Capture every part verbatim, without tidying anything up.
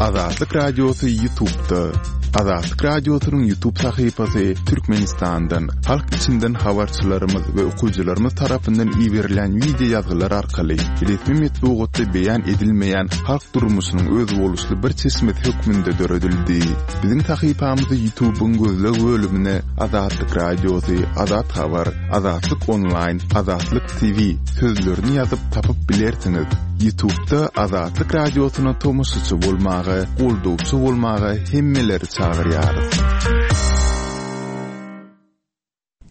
Azatlyk Radiosy YouTube'da. Azatlyk Radiosynyň YouTube sahypasy Türkmenistandan, halk içinden habarçylarymyz we okyjylarymyz tarapyndan iberilen wideo ýazgylar arkaly resmi metbugatda beýan edilmeýän halk durmuşynyň özboluşly bir çeşmesi hökmünde döredildi. Biziň sahypamyzy YouTube'yň gözleg bölümine Azatlyk Radiosy, Azat Habar, Azatlyk Online, Azatlyk T V sözlerini ýazyp tapyp bilersiňiz. YouTube'da Azatlyk Radiosyna tomaşaçy bolmaga, goldawçy bolmaga hemmeleri çagyrýarys.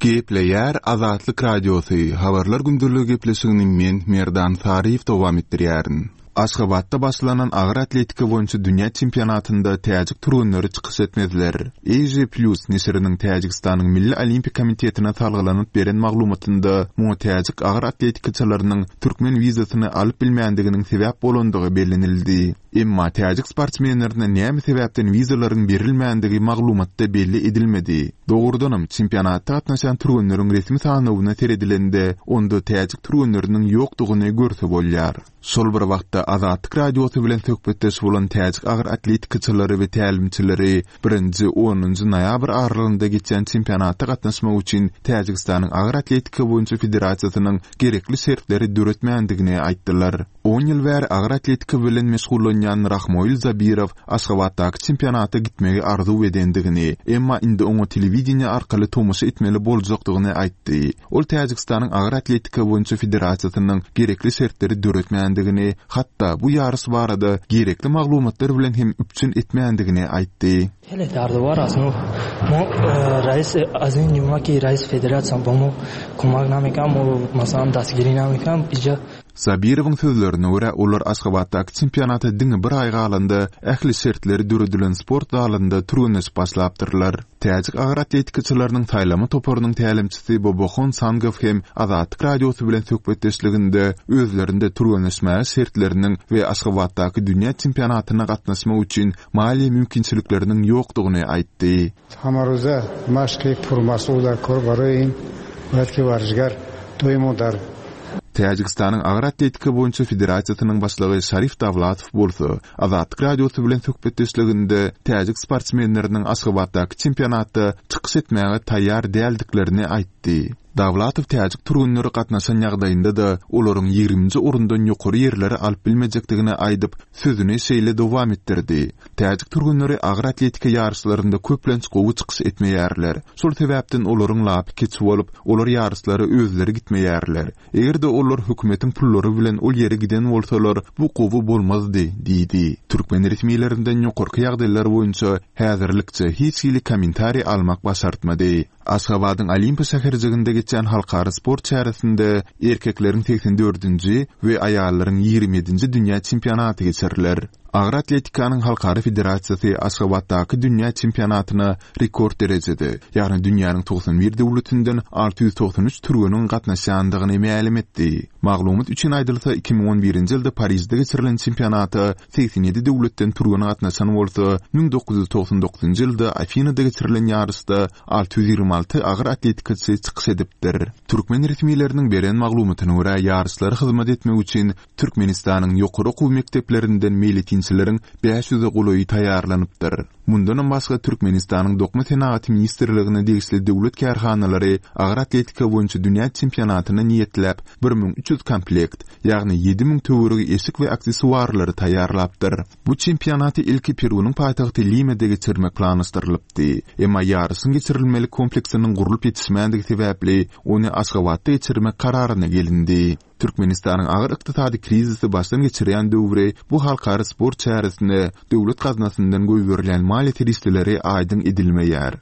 Gepleýär Azatlyk Radiosy, habarlar gündeligi gepleşigini men Merdan Saryýew dowam etdirýärin. Aşgabatda başlanan agyr atletika boýunça dünýä çempionatynda täjik türgenleri çykyş etmezler. Asia Plus neşiriniň Täjigistanyň Milli Olimpiýa Komitetine salgylanyp beren maglumatynda muňa täjik agyr atletikaçylarynyň türkmen wizasyny alyp bilmändiginiň sebäp bolandygy bellenildi. Emma täjik sportsmenlerine näme sebäpden wizalaryň berilmändigi maglumatda belli edilmedi. Dogrudanam çempionatda gatnaşan türgenleriň resmi sanawyna seredilende onda täjik türgenleriniň ýokdugyny görse bolýar. Şol bir wagtda Azatlyk Radiosy bilen söhbetdeş bolan täjik agyr atletikaçylary we tälimçileri birinji onunjy noýabr aralygynda geçen çempionata gatnaşmak üçin Täjigistanyň Agyr Atletika boýunça federasiýasynyň gerekli şertleri döretmändigini aýtdylar. On ýyl bäri agyr atletika bilen meşgullanýan Rahmoil Zabirow Aşgabatdaky çempionata gitmegi arzuw edendigini, emma indi oňa telewideniýe arkaly tomaşa etmeli boljakdygyny aýtdy. Ol Täjigistanyň Agyr Atletika boýunça federasiýasynyň gerekli şertleri döretmändigini, hatda bu ýaryş barada gerekli maglumatlar bilen hem üpjün etmändigini aýtdy. Хеле дардовар аст. Мо, мо, э, раис аз ин ҷумла ки раис федератсия ба мо кӯмак намекунад, мо масалан дастгирӣ намекунад, иҷа Zabirowyň sözlerine görä, olar Aşgabatdaky çempionata diňe bir aý galanda ähli şertleri döredilen sport zalynda türgenleşip başlapdyrlar. Täjik agyr atletikaçylarynyň saýlama toparynyň tälimçisi Bobohon Sangow hem Azatlyk Radiosy bilen söhbetdeşliginde özlerinde türgenleşmäge şertleriniň we Aşgabatdaky dünýä çempionatyna gatnaşmak üçin maliýe mümkinçilikleriniň ýokdugyny aýtdy. Ҳамарӯза машқи пурмасъул дар кор барои ин бояд ки варзишгар доимо дар Täjigistanyň Agyr Atletika boýunça federasiýasynyň başlygy Şarif Dawlatow bolsa Azatlyk Radiosy bilen söhbetdeşliginde täjik sportsmenleriniň Aşgabatdaky çempionatda çykyş etmäge taýýar däldiklerini aýtdy. Dawlatow täjik türgenleri gatnaşan ýagdaýynda-da olaryň ýigriminji orundan ýokary ýerleri alyp bilmejekdigini aýdyp, sözüni şeýle dowam etdirdi. Täjik türgenleri agyr atletika ýaryşlarynda köplenç gowy çykyş etmeýärler. Şol sebäpden olaryň lapy keç bolup, olar ýaryşlara özleri gitmeýärler. Eger-de olar hökümetiň pullary bilen ol ýere giden bolsalar, bu gowy bolmazdy, diýdi. Türkmen resmilerinden ýokarky ýagdaýlar boýunça häzirlikçe hiç hili kommentariý almak başartmady. Aşgabadyň Olimpiýa şäherjiginde geçen halkara sport çäresinde erkekleriň seksen dördünji we aýallaryň ýigrimi ýedinji dünýä çempionaty geçiriler. Agyr atletikanyň halkara federasiýasy Aşgabatdaky dünýä çempionatyna rekord derejede, ýagny dünýäniň togsan bir döwletinden alty ýüz togsan üç türgeniň gatnaşýandygyny mälim etdi. Maglumat üçin aýdylsa, iki müň on birinji ýylda Parijde geçirilen çempionata seksen ýedi döwletden türgen gatnaşan bolsa, müň dokuz ýüz togsan dokuzynjy ýylda Afinada geçirilen ýaryşda alty ýüz ýigrimi alty agyr atletikaçy çykyş edipdir. Türkmen resmileriniň beren maglumatyna görä, ýaryşlara hyzmat etmek üçin Türkmenistanyň ýokary okuw mekdeplerinden meýletinçileriň bäş ýüze golaýy taýýarlanypdyr. Mundanam başga Türkmenistanyň Dokma Senagaty Ministrligine degişli döwlet kärhanalary agyr atletika boýunça dünýä çempionatyna niýetläp bir müň üç ýüz komplekt, ýagny ýedi müň töweregi eşik we aksesuarlary taýýarlapdyr. Bu çempionaty ilki Perunyň paýtagty Limede geçirmek planlaşdyrylypdy. Emma ýaryşyň geçirilmeli kompleksiniň gurlup ýetişmändigi sebäpli ony Aşgabatda geçirmek kararyna gelindi. Türkmenistanyň agyr ykdysady krizisi başdan geçirýän döwri bu halkara sport çäresine döwlet gaznasyndan goýberilýän maliýe serişdeleri aýdyň edilmeýär.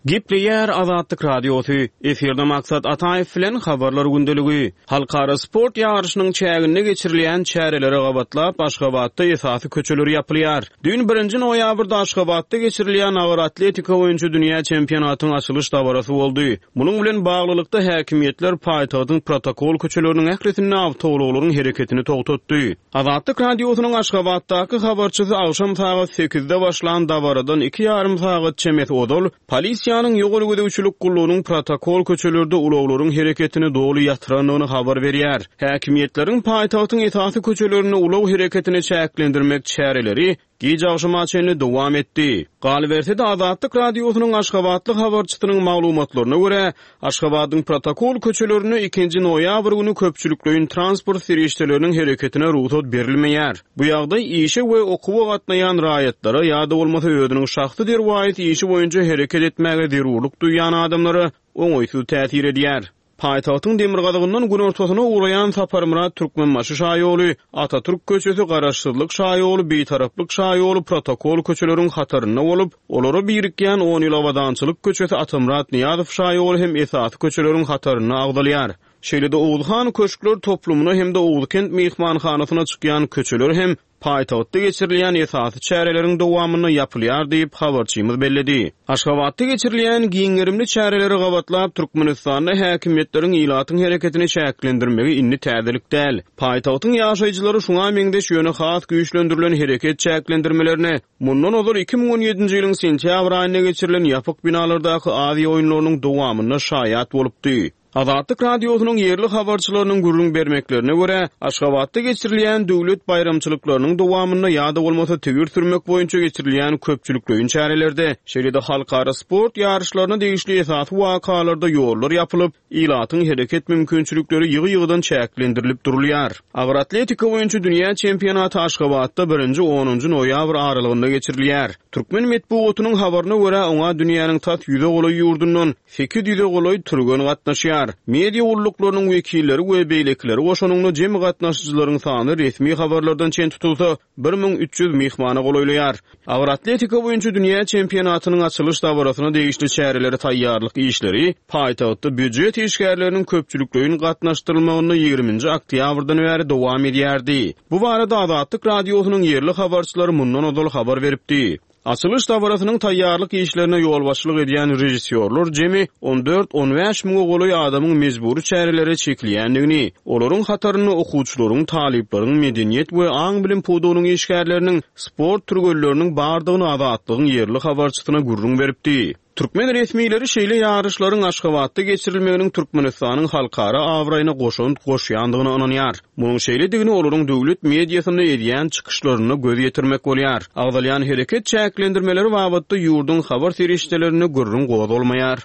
Gepleýär Azatlyk Radiosy. Efirde Maksat Ataýew bilen habarlar gündeligi. Halkara sport ýaryşynyň çäginde geçirilýän çärelere gabatlap Aşgabatda esasy köçeler ýapylýar. Düýn birinji noýabrda Aşgabatda geçirilýän agyr atletika boýunça dünýä çempionatynyň açylyş dabarasy boldy. Munuň bilen baglylykda häkimiýetler paýtagtyň protokol köçeleriniň ählisinde awtoulaglaryň hereketini togtatdy. Azatlyk Radiosynyň Aşgabatdaky habarçysy agşam sagat sekizde başlan dabaradan iki ýarym sagat çemesi ozal polisiýanyň Polisiýanyň ýol gözegçilik gullugynyň protokol köçelerde ulaglaryň hereketini doly ýatyrandygyny habar berýär. Häkimiýetleriň paýtagtyň esasy köçelerinde ulag hereketini çäklendirmek çäreleri giç agşama çenli dowam etdi. Galyberse-de Azatlyk Radiosynyň Aşgabatly habarçysynyň maglumatlaryna görä, Aşgabadyň protokol köçelerinde ikinji noýabr güni köpçülikleýin transport serişdeleriniň hereketine rugsat berilmeýär. Bu ýagdaý işe we okuwa gatnaýan raýatlara ýa-da bolmasa özüniň şahsy derwaýys işi boýunça hereket etmäge zerurlyk duýýan adamlara oňaýsyz täsir edýär. Paýtagtyň demirgazygyndan günortasyna ugraýan Saparmyrat Türkmenbaşy şaýoly, Atatürk köçesi, Garaşsyzlyk şaýoly, Bitaraplyk şaýoly protokol köçeleriň hatarynda bolup, olara birikýän on ýyl Abadançylyk köçesi, Atamyrat Nyýazow şaýoly hem esasy köçeleriň hatarynda agzalýar. Şeýle-de Oguzhan köşkler toplumyna hem-de Oguzkent myhmanhanasyna çykýan köçeler hem paýtagtda geçirilýän esasy çäreleriň dowamynda ýapylýar diýip, habarçymyz belledi. Aşgabatda geçirilýän giň gerimli çäreleri gabatlap, Türkmenistanda häkimiýetleriň ilatyň hereketini çäklendirmegi indi täzelik däl. Paýtagtyň ýaşaýjylary şuňa meňzeş ýöne has güýçlendirilen hereket çäklendirmelerine mundan ozal iki müň on ýedinji ýylyň sentýabr aýynda geçirilen ýapyk binalardaky Aziýa oýunlarynyň dowamynda şaýat bolupdy. Azatlyk Radiosynyň ýerli habarçylarynyň gürrüň bermeklerine görä, Aşgabatda geçirilýän döwlet baýramçylyklarynyň dowamynda ýa-da bolmasa tigir sürmek boýunça geçirilýän köpçülikleýin çärelerde, şeýle-de halkara sport ýaryşlaryna degişli esasy wakalarda ýollar ýapylyp, ilatyň hereket mümkinçilikleri ýygy-ýygydan çäklendirilip durulýar. Agyr atletika boýunça dünýä çempionaty Aşgabatda birinji onunjy noýabr aralygynda geçirilýär. Türkmen metbugatynyň habaryna görä, oňa dünýäniň tas ýüze golaý ýurdundan sekiz ýüze golaý türgen gatnaşýar. Media gulluklarynyň wekilleri we beýlekileri goşanyňda jemi gatnaşyjylaryň sany resmi habarlardan çen tutulsa bir müň üç ýüz myhmana golaýlaýar. Agyr atletika boýunça dünýä çempionatynyň açylyş dabarasyna degişli çäreleri taýýarlyk işleri paýtagtda býujet işgärleriniň köpçülikleýin gatnaşdyrylmagynda ýigriminji oktýabrdan bäri dowam edýärdi. Bu barada Azatlyk Radiosynyň ýerli habarçylary mundan ozal habar beripdi. Açylyş dabarasynyň taýýarlyk işlerine ýolbaşçylyk edýän režissýorlar jemi on dört on bäş müňe golaý adamyň mejbury çärelere çekilýändigini, olaryň hatarynda okuwçylaryň, talyplaryň, medeniýet we aň-bilim pudagynyň işgärleriniň, sport türgenleriniň bardygyny Azatlygyň ýerli habarçysyna gürrüň beripdi. Türkmen resmileri şeýle ýaryşlaryň Aşgabatda geçirilmeginiň Türkmenistanyň halkara abraýyna goşant goşýandygyna ynanýar. Munuň şeýledigini olaryň döwlet mediasynda edýän çykyşlarynda göz ýetirmek bolýar. Agzalýan hereket çäklendirmeleri babatda ýurduň habar serişdelerinde gürrüň gozgalmaýar.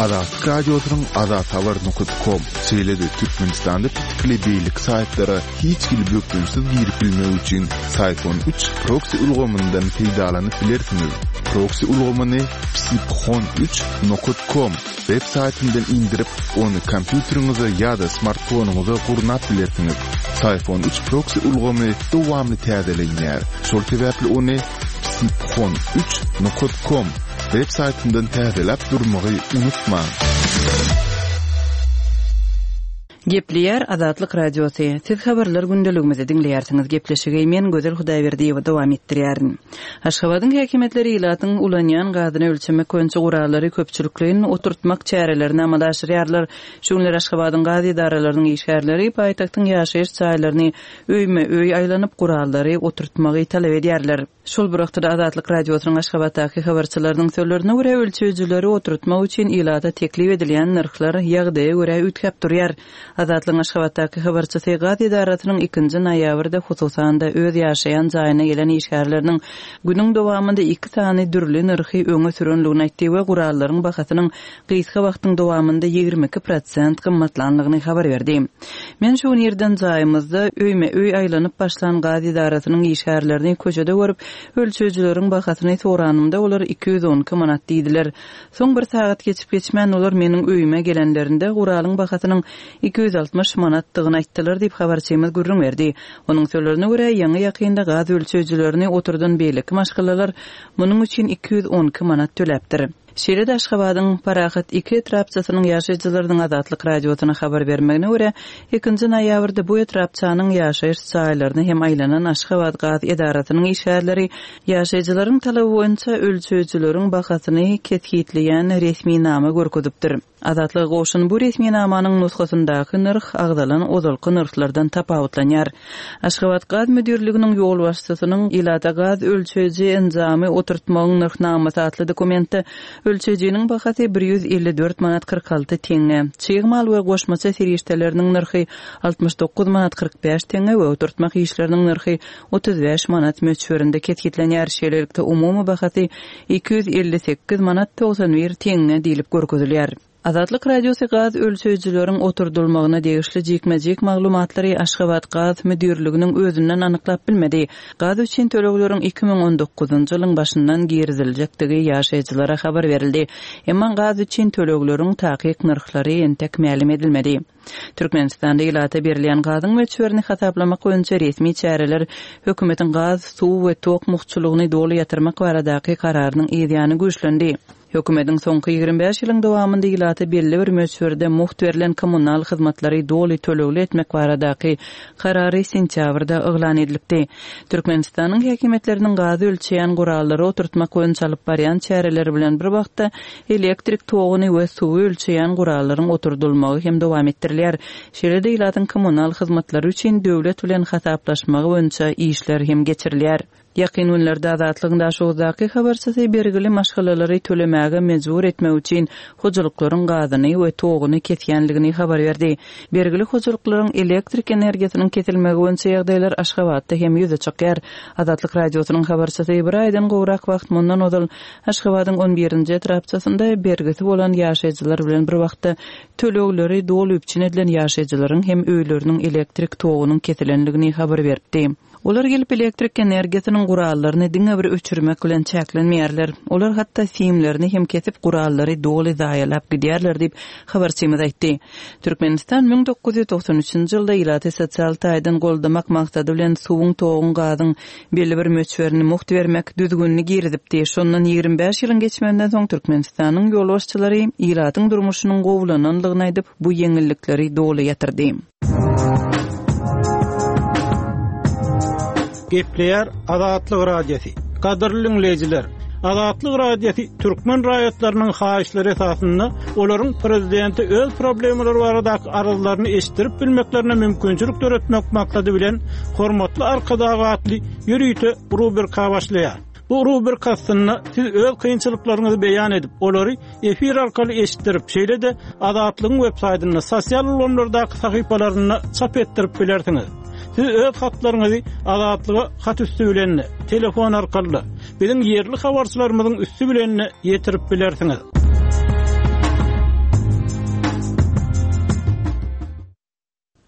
Azatlyk Radiosynyň azathabar nokta com şeýle-de Türkmenistanda pitikli beýleki saýtlara hiç hili bökdençsiz girip bilmek üçin Syfon üç proxy ulgamyndan peýdalanyp bilersiňiz. Proxy ulgamyny psiphon üç nokta com web saýtyndan indirip, ony kompýuteriňize ýa-da smartfonyňyza gurnap bilersiňiz. Syfon üç proxy ulgamy dowamly täzelenýär. Şol sebäpli ony psiphon üç nokta com web saýtyndan täzeläp durmagy unutmaň. Gepleýär Azatlyk Radiosy. Siz habarlar gündeligimizi diňleýärsiňiz. Gepleşigi men Gözel Hudaýberdiýewa dowam etdirýärin. Aşgabadyň häkimiýetleri ilatyň ulanýan gazyny ölçemek boýunça gurallary köpçülikleýin oturtmak çärelerini amala aşyrýarlar. Şu günler Aşgabadyň gaz edaralarynyň işgärleri paýtagtyň ýaşaýyş jaýlaryny öýme-öý aýlanyp gurallary oturtmagy talap edýärler. Şol bir wagtda Azatlyk Radiosynyň Aşgabatdaky habarçylarynyň sözlerine görä ölçeýjileri oturtmak üçin ilata teklip edilýän nyrhlar ýagdaýa görä üýtgäp durýar. Azatlygyň Aşgabatdaky habarçysy gaz edarasynyň ikinji noýabrda hususan-da öz ýaşaýan jaýyna gelen işgärleriniň günüň dowamynda iki sany dürli nyrhy öňe sürenligini aýtdy we gurallaryň bahasynyň gysga wagtyň dowamynda ýigrimi iki prosent gymmatlanlygyny habar berdi. Men şu gün ýerden jaýymyzda öýme öý aýlanyp başlan gaz edarasynyň işgärlerini köçede görüp, ölçeýjileriň bahasyny soranymda olar iki ýüz on iki manat diýdiler. Soň bir sagat geçip geçmän olar meniň öýüme gelenlerinde guralyň bahasynyň iki ýüz altmyş manatdygyny aýtdylar diýip habarçymyz gürrüň berdi. Onuň sözlerine görä ýaňy ýakynda gaz ölçeýjilerini oturdan beýleki maşgalalar munuň üçin iki ýüz on iki manat töläpdir. Şeýle-de Aşgabadyň Parahat iki etrapçasynyň ýaşaýjylarynyň Azatlyk Radiosyna habar bermegine görä, ikinji noýabrda bu etrapçanyň ýaşaýyş jaýlaryna hem aýlanan Aşgabat gaz edarasynyň işgärleri ýaşaýjylaryň talaby boýunça ölçeýjileriň bahasyny kesgitleýän resminama görkezipdir. Azatlyga gowşan bu resminamanyň nusgasyndaky nyrh agzalan ozalky nyrhlardan tapawutlanýar. Aşgabat gaz müdirliginiň ýolbaşçysynyň ilata gaz ölçeýji enjamy oturtmagyň nyrhnamasy atly dokumentde ölçeýjiniň bahasy bir ýüz elli dört manat kyrk alty teňňe, çig mal we goşmaça serişdeleriniň nyrhy altmyş dokuz manat kyrk bäş teňňe we oturtmak işleriniň nyrhy otuz bäş manat möçberinde kesgitlenýär. Şeýlelikde umumy bahasy iki ýüz elli sekiz manat togsan bir teňňe diýlip görkezilýär. Azatlyk Radiosy gaz ölçeýjileriň oturdylmagyna degişli jikme-jik maglumatlary Aşgabat gaz müdirliginiň özünden anyklap bilmedi. Gaz üçin tölegleriň iki müň on dokuzynjy ýylyň başyndan giriziljekdigi ýaşaýjylara habar berildi. Emma gaz üçin tölegleriň takyk nyrhlary entek mälim edilmedi. Türkmenistanda ilata berilýän gazyň möçberini hasaplamak boýunça resmi çäreler hökümetiň gaz, suw we tok muhçulygyny doly ýatyrmak baradaky kararynyň ýany güýçlendi. Hökümetiň soňky ýigrimi bäş ýylyň dowamynda ilata belli bir möçberde muht berlen kommunal hyzmatlary doly tölegli etmek baradaky karary sentýabrda yglan edilipdi. Türkmenistanyň häkimiýetleriniň gazy ölçeýän gurallary oturtmak boýunça alyp barýan çäreleri bilen bir wagtda elektrik toguny we suwy ölçeýän gurallaryň oturdylmagy hem dowam etdirilýär. Şeýle-de ilatyň kommunal hyzmatlary üçin döwlet bilen hasaplaşmagy boýunça işler hem geçirilýär. Ýakyn günlerde Azatlygyň Daşoguzdaky habarçysy bergili maşgalalary tölemäge mejbur etmek üçin hojalyklaryň gazyny we toguny kesýänligini habar berdi. Bergili hojalyklaryň elektrik energiýasynyň kesilmegi boýunça ýagdaýlar Aşgabatda hem ýüze çykýar. Azatlyk Radiosynyň habarçysy bir aýdan gowrak wagt mundan ozal Aşgabadyň on birinji etrapçasynda bergisi bolan ýaşaýjylar bilen bir wagtda tölegleri doly üpjün edilen ýaşaýjylaryň hem öýleriniň elektrik togunyň kesilenligini habar beripdi. Olar gelip elektrik energiýasynyň gurallaryny diňe bir öçürmek bilen çäklenmeýärler. Olar hatda simlerini hem kesip gurallary doly zaýalap gidýärler diýip habarçymyz aýtdy. Türkmenistan müň dokuz ýüz togsan üçünji ýylda ilaty sosial taýdan goldamak maksady bilen suwuň, toguň, gazyň belli bir möçberini muht bermek düzgünini girizipdi. Şondan ýigrimi bäş ýylyň geçmeginden soň Türkmenistanyň ýolbaşçylary ilatyň durmuşynyň gowulananlygyny aýdyp, bu ýeňillikleri doly ýatyrdy. Gepleýär Azatlyk Radiosy. Gadyrly dinleýjiler, Azatlyk Radiosy türkmen raýatlarynyň haýyşlary esasynda olaryň prezidenti öz problemalary baradaky arzlaryny eşitdirip bilmeklerine mümkinçilik döretmek maksady bilen hormatly Arkadag atly ýörite rubrika başlaýar. Bu rubrika aslynda siz öz kynçylyklaryňyzy beýan edip, olary efir arkaly eşitdirip, şeýle-de Azatlygyň web saýtynda, sosial ulgamlardaky sahypalarynda çap etdirip bilersiňiz. Siz öz hatlaryňyzy Azatlyga hat üstü bilen, telefon arkaly, biziň ýerli habarçylarymyzyň üstü bilen ýetirip bilersiňiz.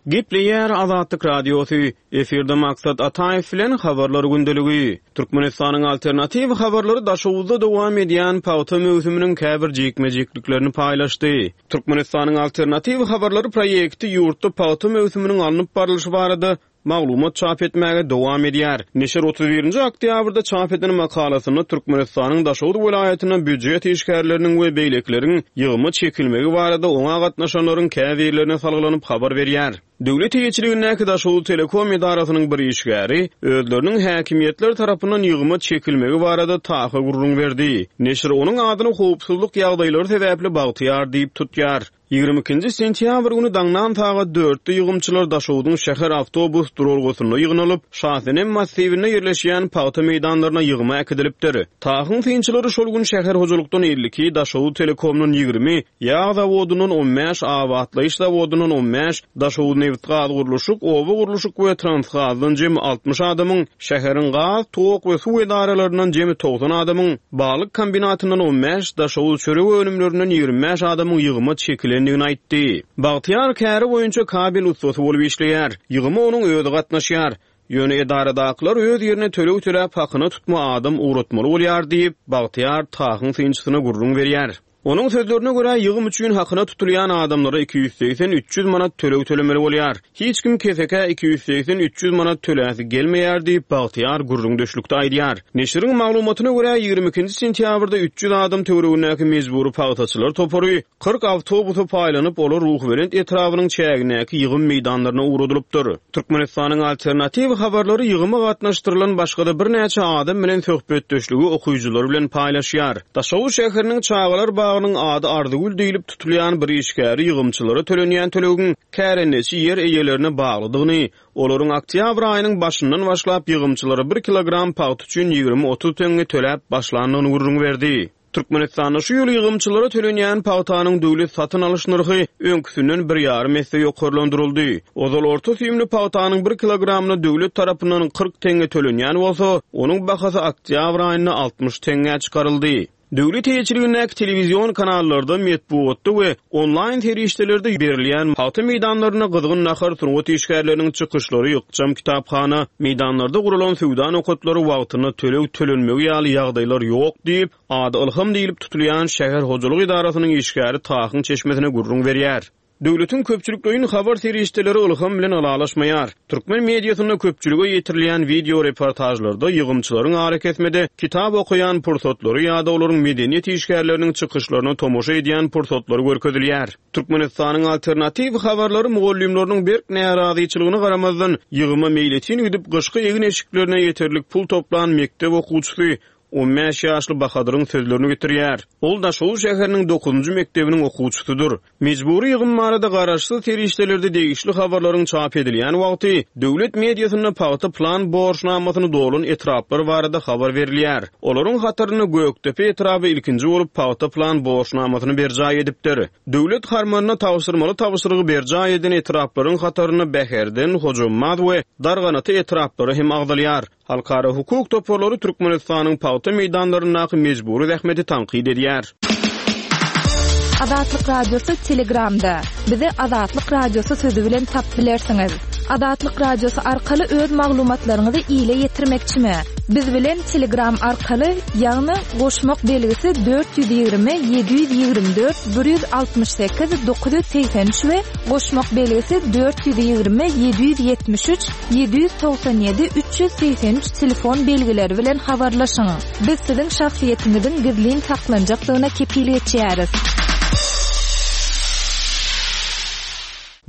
Gepleýär Azatlyk Radiosy, efirde Maksat Ataýew bilen habarlar gündeligi. Türkmenistanyň alternatiw habarlary Daşoguzda dowam edýän pagta möwsüminiň käbir jikme-jikliklerini paýlaşdy. Türkmenistanyň alternatiw habarlary proýekti ýurtda pagta möwsüminiň alnyp barlyşy barada maglumat çap etmäge dowam edýär. Neşir otuz birinji oktýabrda çap eden makalasynda Türkmenistanyň Daşoguz welaýatyndan býujet işgärleriniň we beýlekileriň ýygyma çekilmegi barada oňa gatnaşanlaryň käbirlerine salgylanyp habar berýär. Döwlet eýeçiligindäki Daşoguz Telekom edarasynyň bir işgäri özleriniň häkimiýetler tarapyndan ýygyma çekilmegi barada tahy gurrun berdi. Neşir onuň adyny howpsuzlyk ýagdaýlary sebäpli Bagtyýar diýip tutýar. Ýigrimi ikinji sentýabr güni daňdan sagat dörtde ýygymçylar Daşoguzun şäher awtobus duralgasynda ýygnalyp, Şasenem massiwinde ýerleşýän pagta meýdanlaryna ýygyma äkidilipdir. Tahyň synçylary şol gün şäher hojalykdan elli iki, Daşoguz Telekomdan ýigrimi, ýag zawodundan on bäş, abatlaýyş zawodundan on bäş, Daşoguz nebit-gaz gurluşyk, oba gurluşyk we transgazdan jemi altmyş adamyň, şäheriň gaz, tok we suw edaralaryndan jemi togsan adamyň, balyk kombinatyndan on bäş, Daşoguz çörek önümlerinden ýigrimi bäş adamyň ýygyma çekilendigini aýtdy. Bagtyýar käri boýunça kabel ussasy bolup işleýär. Ýygyma onuň özi gatnaşýar. Ýöne edaradakylar öz ýerine töleg töläp hakyna tutma adam ugratmaly bolýar diýip, Bagtyýar Tahyň synçysyna gürrüň berýär. Onuň sözlerine görä ýygym üçin hakyna tutulýan adamlara iki ýüz segsen üç ýüz manat töleg tölemeli bolýar. Hiç kim kesekä iki ýüz segsen üç ýüz manat töläsi gelmeýär diýip Bagtyýar gürrüňdeşlikde aýdýar. Neşiriň maglumatyna görä ýigrimi ikinji sentýabrda üç ýüz adam töweregindäki mejbury pagtaçylar topary kyrk awtobusa paýlanyp, olar Ruhubelent etrabynyň çägindäki ýygym meýdanlaryna ugradylypdyr. Türkmenistanyň alternatiw habarlary ýygyma gatnaşdyrylan başga-da birnäçe adam bilen söhbetdeşligi okyjylar bilen paýlaşýar. Daşoguz şäheriniň çagalar bagynyň bagynyň ady Arzygül diýlip tutulýan bir işgäri ýygymçylara tölenýän tölegiň kärendeçi ýer eýelerine baglydygyny, olaryň oktýabr aýynyň başyndan başlap ýygymçylara bir kilogram pagta üçin ýigrimi otuz teňňe töläp başlandygyny gürrüň berdi. Türkmenistanda şu ýyl ýygymçylara tölenýän pagtanyň döwlet satyn alyş nyrhy öňküsinden bir ýarym esse ýokarlandyryldy. Ozal orta süýümli pagtanyň bir kilogramyna döwlet tarapyndan kyrk teňňe tölenýän bolsa, onuň bahasy oktýabr aýynda altmyş teňňä çykaryldy. Döwlet eýeçiligindäki telewizion kanallarda, metbugatda we onlaýn serişdelerde berilýän pagta meýdanlarynda gyzgyn nahar sungat işgärleriniň çykyşlary, ykjam kitaphana, meýdanlarda guralan söwda nokatlary wagtynda töleg tölenmegi ýaly ýagdaýlar ýok diýip, ady Ylham diýlip tutulýan şäher hojalyk edarasynyň işgäri Tahyň çeşmesine gürrüň berýär. Döwletiň köpçülikleýin habar serişdeleri Ylham bilen ylalaşmaýar. Türkmen mediasynda köpçülige ýetirilýän video reportajlarda ýygymçylaryň arakesmede kitap okaýan pursatlary ýa-da olaryň medeniýet işgärleriniň çykyşlaryna tomaşa edýän pursatlary görkezilýär. Türkmenistanyň alternatiw habarlary mugallymlarynyň berk närazyçylygyna garamazdan ýygyma meýletin gidip gyşky egin eşiklerine ýeterlik pul toplan mekdep okuwçysy on bäş ýaşly Bahadyryň sözlerini getirýär. Ol Daşoguz şäheriniň dokuzynjy mekdebiniň okuwçysydyr. Mejbury ýygym barada garaşsyz serişdelerde degişli habarlaryň çap edilýän wagty döwlet mediasynda pagta plan borçnamasyny dolan etraplar barada habar berilýär. Olaryň hatarynda Gökdepe etrabı ilkinji bolup pagta plan borçnamasyny berjaý edipdir. Döwlet harmanyna tabşyrmaly tabşyrygy berjaý eden etraplaryň hatarynda Bäherden, Hojambaz we Darganata etraplary hem agzalýar. Halkara hukuk toparlary Türkmenistanyň pagta meýdanlaryndaky mejbury zähmeti tankyt edýär. Azatlyk Radiosy Telegramda. Bizi Azatlyk Radiosy sözü bilen tap bilersiňiz. Azatlyk Radiosy arkaly öz maglumatlaryňyzy ile ýetirmekçimi? Biz bilen Telegram arkaly, ýagny goşmak belgisi dört ýüz ýigrimi, ýedi ýüz ýigrimi dört, bir ýüz altmyş sekiz, dokuz ýüz segsen üç we goşmak belgisi dört ýüz ýigrimi, ýedi ýüz ýetmiş üç, ýedi ýüz togsan ýedi, üç ýüz segsen üç telefon belgileri bilen habarlaşyň. Biz siziň şahsyýetiňiziň gizlin saklanjakdygyna kepil geçýäris.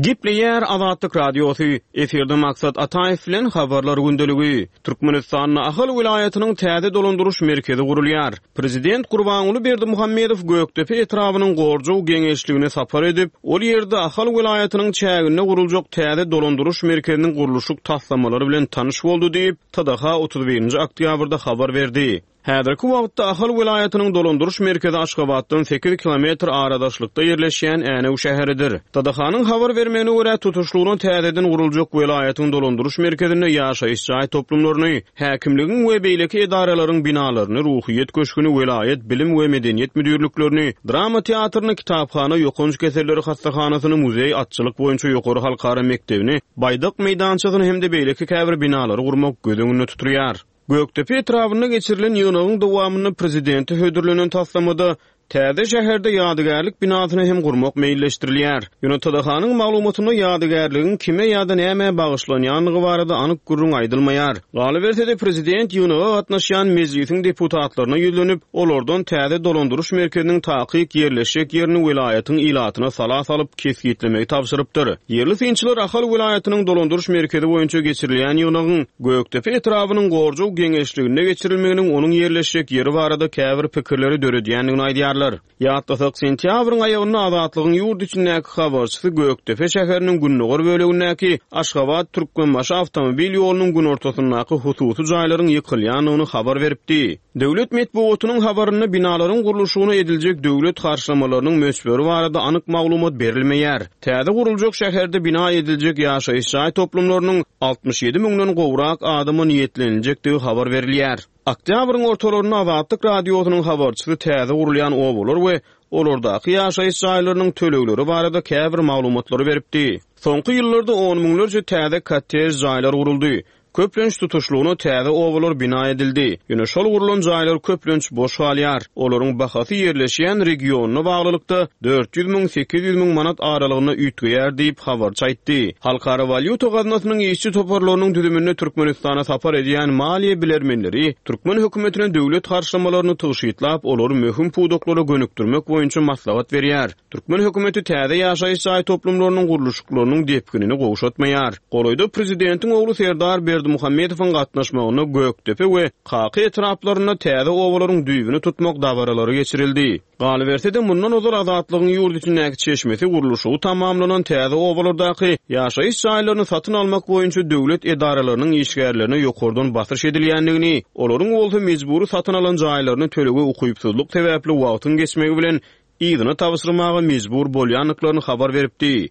Gepleýär Azatlyk Radiosy. Efirde Maksat Ataýew bilen habarlar gündeligi. Türkmenistanda Ahal welaýatynyň täze dolandyryş merkezi gurulýar. Prezident Gurbanguly Berdimuhamedow Gökdepe etrabynyň Gorjow geňeşligine sapar edip, ol ýerde Ahal welaýatynyň çäginde guruljak täze dolandyryş merkeziniň gurluşyk taslamalary bilen tanyş boldy diýip, T D H otuz birinji oktýabrda habar berdi. Häzirki wagtda Ahal welaýatynyň dolandyryş merkezi Aşgabatdan sekiz kilometr aradaşlykda ýerleşýän Änew şäheridir. T D H-nyň habar bermegine görä tutuşlygyna täzeden guruljak welaýatyň dolandyryş merkezinde ýaşaýyş jaý toplumlaryny, häkimligiň we beýleki edaralaryň binalaryny, ruhyýet köşgüni, welaýat bilim we medeniýet müdirliklerini, drama teatryny, kitaphana, ýokanç keselleri hassahanasyny, muzeý atçylyk boýunça ýokary halkara mekdebini, baýdak meýdançasyny hem-de beýleki käbir binalary gurmak göz öňünde tutulýar. Gökdepe etrabynda geçirilen ýygnagyň dowamynda prezidente hödürlenen taslamada täze şäherde ýadygärlik binasyny hem gurmak meýilleşdirilýär. Ýöne T D H-nyň maglumatynda ýadygärligiň kime ýa-da nämä bagyşlanýandygy barada anyk gürrüň aýdylmaýar. Galyberse-de prezident ýygnaga gatnaşýan mejlisiň deputatlaryna ýüzlenip, olardan täze dolandyryş merkeziniň takyk ýerleşjek ýerini welaýatyň ilatyna sala salyp kesgitlemegi tabşyrypdyr. Ýerli synçylar Ahal welaýatynyň dolandyryş merkezi boýunça geçirilýän ýygnagyň Gökdepe etrabynyň Gorjow geňeşliginde geçirilmeginiň onuň ýerleşjek ýeri barada käbir pikirleri döredýändigini aýdýarlar. Ýatlasak, sentýabryň aýagynda Azatlygyň ýurt içindäki habarçysy Gökdepe şäheriniň gündogar bölegindäki Aşgabat Türkmenbaşy awtomobil ýolunyň günortasyndaky hususy jaýlaryň ýykylýandygyny habar beripdi. Döwlet metbugatynyň habarynda binalaryň gurluşygyna ediljek döwlet harçlamalarynyň möçberi barada anyk maglumat berilmeýär. Täze guruljak şäherde bina ediljek ýaşaýyş jaý toplumlarynyň altmyş ýedi müňden gowrak adama niýetleniljekdigi habar berilýär. Oktýabryň ortalarynda Azatlyk Radiosynyň habarçysy täze gurulýan obalar we olardaky ýaşaýyş jaýlarynyň tölegleri barada käbir maglumatlary beripdi. Soňky ýyllarda on müňlerçe täze kottej jaýlar guruldy. Köplenç tutuşlygyna täze obalar bina edildi. Ýöne şol gurulan jaýlar köplenç boş galýar. Olaryň bahasy ýerleşýän regionyna baglylykda dört ýüz müň sekiz ýüz müň manat aralygynda üýtgeýär diýip habarçy aýtdy. Halkara walýuta gaznasynyň işçi toparlarynyň düzüminde Türkmenistana sapar edýän maliýe bilermenleri türkmen hökümetine döwlet harçlamalaryny tygşytlap, olary möhüm pudaklara gönükdirmek boýunça maslahat berýär. Türkmen hökümeti täze ýaşaýyş jaý toplumlarynyň gurluşyklarynyň depginini gowşatmaýar. Golaýda prezidentiň ogly Serdar Berdimuhamedowyň gatnaşmagynda Gökdepe we Kaka etraplarynda täze obalaryň düýbüni tutmak dabaralary geçirildi. Galyberse-de, mundan ozal Azatlygyň ýurt içindäki çeşmesi gurluşygy tamamlanan täze obalardaky ýaşaýyş jaýlaryny satyn almak boýunça döwlet edaralarynyň işgärlerine ýokardan basyş edilýändigini, olaryň bolsa mejbury satyn alan jaýlaryny tölege ukypsyzlyk sebäpli wagtyň geçmegi bilen yzyna tabşyrmaga mejbur bolýandyklaryny habar beripdi.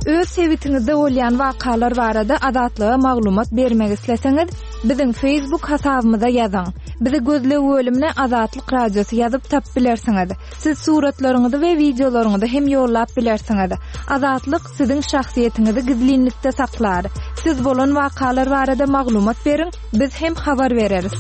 Öz sebitiňizde bolýan wakalar barada Azatlyga maglumat bermek isleseňiz, biziň Facebook hasabymyza ýazyň. Bizi gözleg bölümine Azatlyk Radiosy ýazyp tapyp bilersiňiz. Siz suratlaryňyzy we wideolaryňyzy hem ýollap bilersiňiz. Azatlyk siziň şahsyýetiňizi gizlinlikde saklar. Siz bolan wakalar barada maglumat beriň, biz hem habar bereris.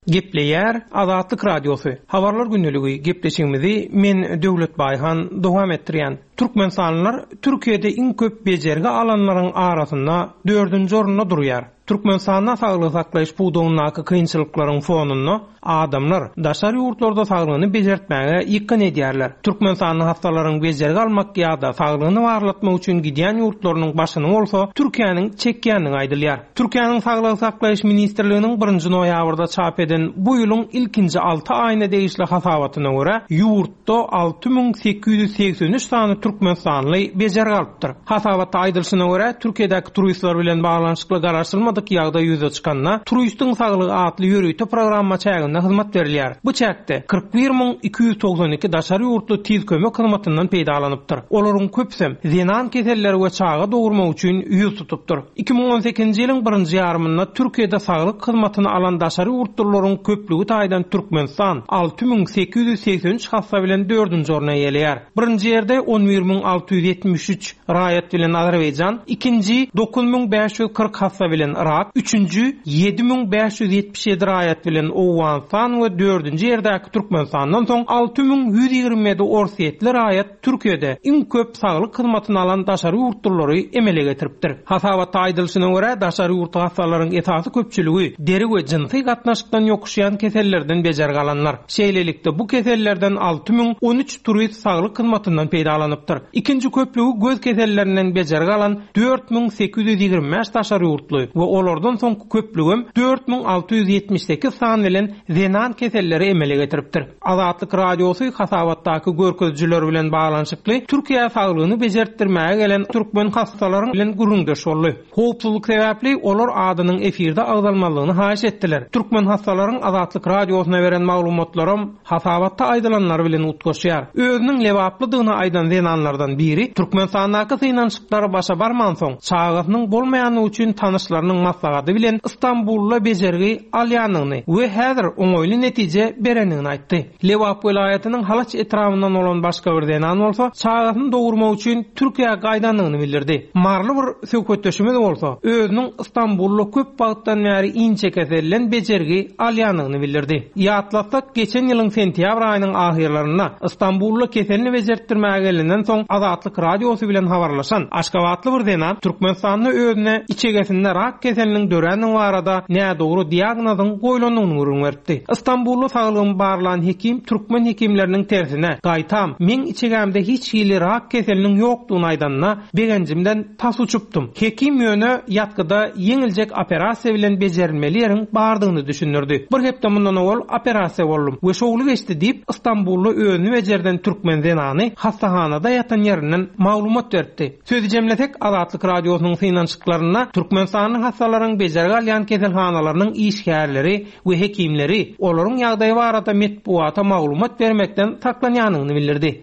Gepleýär Azatlyk Radiosy. Habarlar gündeligi gepleşigimizi men Döwlet Baýhan dowam etdirýän. Türkmenistanlylar Türkiýede iň köp bejergi alanlaryň arasynda dördünji orunda durýar. Türkmenistanda saglygy saklaýyş pudagyndaky kynçylyklaryň fonunda adamlar daşary ýurtlarda saglygyny bejertmäge ýykgyn edýärler. Türkmenistanda hastalaryň bejergi almak ýa-da saglygyny barlatmak üçin gidýän ýurtlarynyň başyny bolsa Türkiýäniň çekýändigi aýdylýar. Türkiýäniň Saglygy saklaýyş ministrliginiň birinji noýabrda çap eden bu ýylyň ilkinji alty aýyna degişli hasabatyna görä, ýurtda alty müň sekiz ýüz segsen üç sany türkmenistanly bejergi alypdyr. Hasabatda aýdylyşyna görä, Türkiýedäki turistler bilen baglanyşykly garaşylmadyk ýagdaý ýüze çykanda, Turistiň saglygy atly ýörite programma çäginde hyzmat berilýär. Bu çäkde kyrk bir müň iki ýüz togsan iki daşary ýurtly tiz kömek hyzmatyndan peýdalanypdyr. Olaryň köpüsem zenan keselleri we çaga dogurmak üçin ýüz tutupdyr. Iki müň on sekizinji ýylyň birinji ýarymynda Türkiýede saglyk hyzmatyny alan daşary ýurtlularyň köplügi taýdan Türkmenistan alty müň sekiz ýüz segsen üç hassa bilen dördünji orny eýeleýär. Birinji ýerde on bir müň alty ýüz ýetmiş üç raýat bilen Azerbaýjan, ikinji dokuz müň bäş ýüz kyrk hassa bilen Irak, üçünji ýedi müň bäş ýüz ýetmiş ýedi raýat bilen Owganystan we dördünji ýerdäki Türkmenistandan soň alty müň ýüz ýigrimi ýedi orsýetli raýat Türkiýede iň köp saglyk hyzmatyny alan daşary ýurtlulary emele getiripdir. Hasabatda aýdylyşyna görä, daşary ýurt hassalaryň esasy köpçüligi deri we jynsy gatnaşykdan ýokuşýan kesellerden bejergi alanlar. Şeýlelikde bu kesellerden alty müň on üç turist saglyk hyzmatyndan peýdalanypdyr. Ikinji köplügi göz kesellerinden bejergi alan dört müň sekiz ýüz ýigrimi bäş daşary ýurtly we olardan soňky köplügem dört müň alty ýüz ýetmiş sekiz san bilen zenan keselleri emele getiripdir. Azatlyk Radiosy hasabatdaky görkezijiler bilen baglanyşykly Türkiýe saglygyny bejertdirmäge gelen türkmen hassalaryň bilen gürrüňdeş boldy. Howpsuzlyk sebäpli olar adynyň efirde agzalmalygyny haýyş etdiler. Türkmen hassalaryň Azatlyk Radiosyna beren maglumatlarym hasabatda aýdylanlar bilen utgaşýar. Özüniň lebaplydygyny aýdan zenanlardan biri Türkmenistandaky synanyşyklara başa barman soň çagasynyň bolmaýanlygy üçin tanyşlarynyň maslahaty bilen Istanbulda bejergi alýandygyny we häzir oňaýly netije berendigini aýtdy. Lebap welaýatynyň Halaç etrabyndan bolan başga bir zenan bolsa çagasyny dogurmak üçin Türkiýä gaýdandygyny bildirdi. Marly bir söhbetdeşimiz bolsa özüniň Istanbulda köp wagtdan bäri inçe keselden bejergi alýandygyny bildirdi. Ýatlatsak, geçen ýylyň sentýabr aýynyň ahyrlarynda Istanbulda keselini bejertdirmäge gelenden soň Azatlyk Radiosy bilen habarlaşan Aşgabatly bir zenan Türkmenistanda özüne içegesinde rak keseliniň döränligi barada nädogry diagnozyň goýlandygyny gürrüň beripdi. Istanbulda saglygyny barlan hekim türkmen hekimleriniň tersine gaýtam meň içegemde hiç hili rak keseliniň ýokdugyny aýdanyna begenjimden tas uçupdym. Hekim ýöne ýatgyda ýeňiljek operasiýa bilen bejerilmeli ýeriň bardygyny düşündirdi. Bir hepde mundan owal operasiýa boldum we şowly geçdi diýip Istanbulda özüni bejerden türkmen zenany hastahanada ýatan ýerinden maglumat beripdi. Sözi jemlesek Azatlyk Radiosynyň synanyşyklarynda Türkmenistanyň hassalaryň bejergi alýan keselhanalarynyň işgärleri we hekimleri olaryň ýagdaýy barada metbuata maglumat bermekden saklanýanyny bildirdi.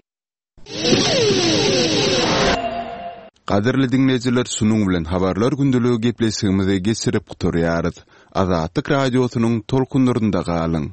Gadyrly diňleýjiler, şunuň bilen habarlar gündeligi gepleşigimizi geçirip gutarýarys. Azatlyk Radiosynyň tolkunlarynda galyň.